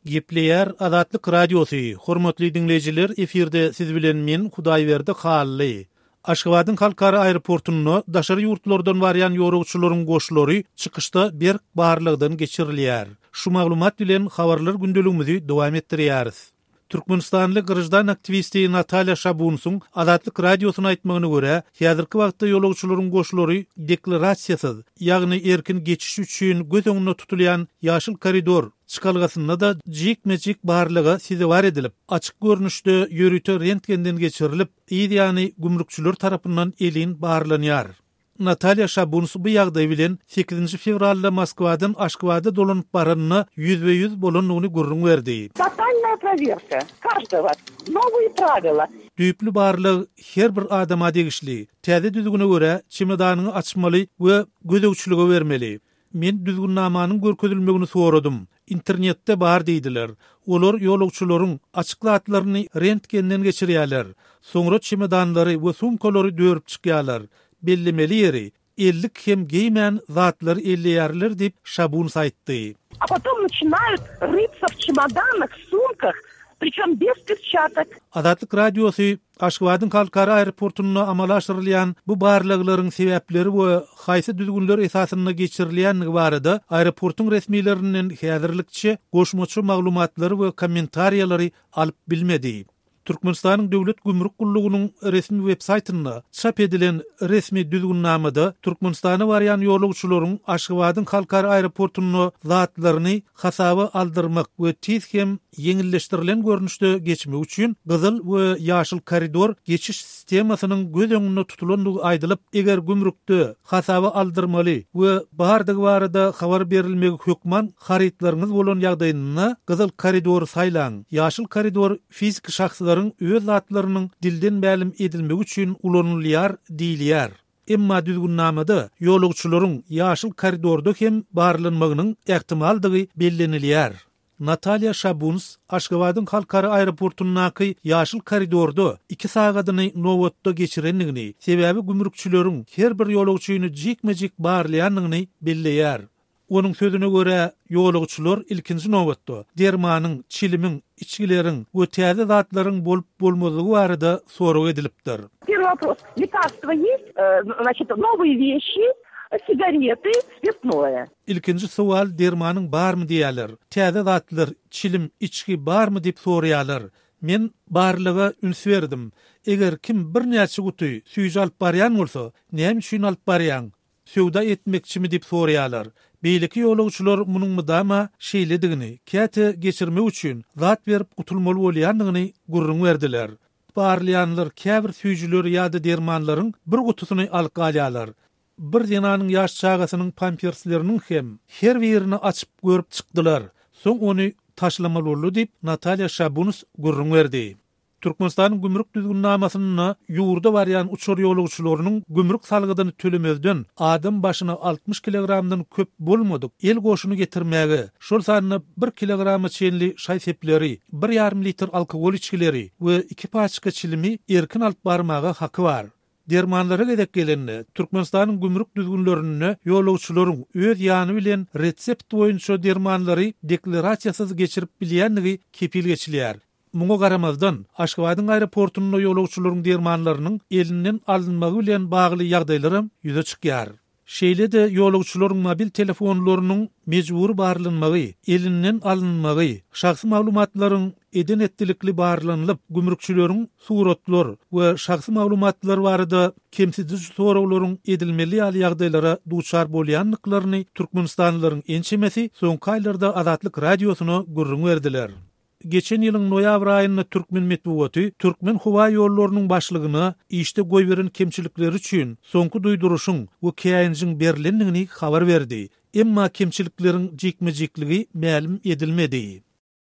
Gepleýär Azatlyk Radiosy, Hormatly diňleýjiler, efirde siz bilen men Hudaýberdi Hally. Aşgabadyň halkara aeroportunda daşary ýurtlardan barýan ýolagçylaryň goşlary çykyşda berk barlagdan geçirilýär. Şu maglumat bilen habarlar gündeligimizi dowam etdirýäris. Türkmenistanly graždan aktiwisti Natalýa Şabunsyň Azatlyk Radiosyna aýtmagyna görä, häzirki wagtda ýolagçylaryň goşlary deklarasiýasyz, ýagny erkin geçiş üçin göz öňünde tutulýan ýaşyl koridor çykalgasynda-da jikme-jik barlaga sezewar edilip, açyk görnüşde ýörite rentgenden geçirilip, yz ýany gümrükçiler tarapyndan elin barlanýar. Natalýa Şabuns bu ýagdaý bilen sekizinji fewralda Moskwadan Aşgabada dolanyp baranynda ýüzbe-ýüz bolandygyny gürrüň berdi. Totalnaýa prowerka každogo. Nowyý prawila. Düýpli barlag her bir adama degişli. Täze düzgüne görä, çemodanyňy açmaly we gözegçilige bermeli. Men düzgünnamanyň görkezilmegini soradym. Internetde bar diýdiler. Olar ýolagçylaryň açyk zatlaryny rentgenden geçirýärler. Soňra çemodanlary we sumkalary dörüp çykýarlar. Bellemeli ýeri, ellik hem geýmän zatlary elleýärler diýip, Şabuns aýtdy. A potom naçinaýut rytsa w çemodanah, sumkah, pričem bez perçatok. Azatlyk Radiosy Aşgabadyň halkara aeroportunda amala aşyrylýan bu barlaglaryň sebäpleri we haýsy düzgünler esasynda geçirilýändigi barada aeroportuň resmilerinden häzirlikçe goşmaça maglumatlary we kommentariýalary alyp bilmedi. Türkmenistanyň Döwlet gümrük gullugynyň resmi websaýtynda çap edilen resmi düzgünnamada Türkmenistana barýan ýolagçylaryň Aşgabadyň halkara aeroportunda zatlaryny hasaba aldyrmak we tiz hem ýeňilleşdirilen görnüşde geçmek üçin gyzyl we ýaşyl koridor geçiş sistemasynyň göz öňünde tutulandygy aýdylyp, eger gümrükde hasaba aldyrmaly we bardygy barada habar berilmegi hökman harytlaryňyz bolan ýagdaýynda gyzyl koridory saýlaň, ýaşyl koridor fiziki şahslaryň öz zatlarynyň dilden mälim edilmegi üçin ulanylýar diýilýär. Emma düzgünnamada ýolagçylaryň ýaşyl koridorda hem barlanmagynyň ähtimaldygy bellenilýär. Natalýa Şabuns Aşgabadyň halkara aeroportundaky ýaşyl koridorda iki sagadyny nobatda geçirendigini, sebäbi gümrükçileriň her bir ýolagçyny jikme-jik barlaýandygyny belleýär. Onuň sözüne görä, ýolagçylar ilkinji nobatda dermanyň, çilimiň, içgileriň we täze zatlaryň bolup-bolmazlygy barada sorag edilipdir. Первый вопрос, lekarstwo ýest, znaçit, nowyý weşi, sigarety, spirtnoe. Ilkinji sowal dermanyň barmy diýýärler. Täze zatlar, çilim, içgi barmy diýip soraýarlar. Men barlyga üns berdim. Eger kim birnäçe guty süýji alyp barýan bolsa, näme üçin alyp barýaň? Söwda etmekçimi diýip soraýarlar. Beýleki ýolagçylar munuň mydama şeýledigini, käte geçirmek üçin zat berip gutulmaly bolýandygyny gürrüň berdiler. Barlaýanlar käbir süýjüleri ýa-da dermanlaryň bir gutusyny alyp galýarlar. Bir zenanyň ýaş çagasynyň pampersleriniň hem her birini açyp görüp çykdylar. Soň ony taşlamaly boldy diýip, Natalýa Şabuns gürrüň berdi. Türkmenistanyň gümrük düzgünnamasynda ýurda barýan uçar ýolagçylarynyň gümrük salgydyny tölemezden adam başyna 60 kilogramdan köp bolmadyk el goşuny getirmäge, şol sanda bir kilograma çenli şaý-sepleri, bir ýarym litr alkogol içgileri we iki paçka çilimi erkin alyp barmaga haky bar. Dermanlara gezek gelende, Türkmenistanyň gümrük düzgünlerinde ýolagçylaryň öz ýany bilen resept boýunça dermanlary deklarasiýasyz geçirip bilýändigi kepil geçilýär. Muňa garamazdan, Aşgabadyň aeroportunda ýolagçylaryň dermanlarynyň elinden alynmagy bilen bagly ýagdaýlaram ýüze çykýar. Şeýle-de ýolagçylaryň mobil telefonlarynyň mejbury barlanmagy, elinden alynmagy, şahsy maglumatlaryň eden-etdilikli barlanylyp, gümrükçileriň suratlar we şahsy maglumatlar barada kemsidiji soraglaryň edilmeli ýaly ýagdaýlara duçar bolýandyklaryny türkmenistanlylaryň ençemesi soňky aýlarda Azatlyk Radiosyna gürrüň berdiler. Geçen ýylyň noýabr aýynda türkmen metbugaty Türkmenhowaýollarynyň başlygyna işde goýberen kemçilikleri üçin soňky duýduryşyň we käýinjiň berlendigini habar berdi. Emma kemçilikleriň jikme-jikligi mälim edilmedi.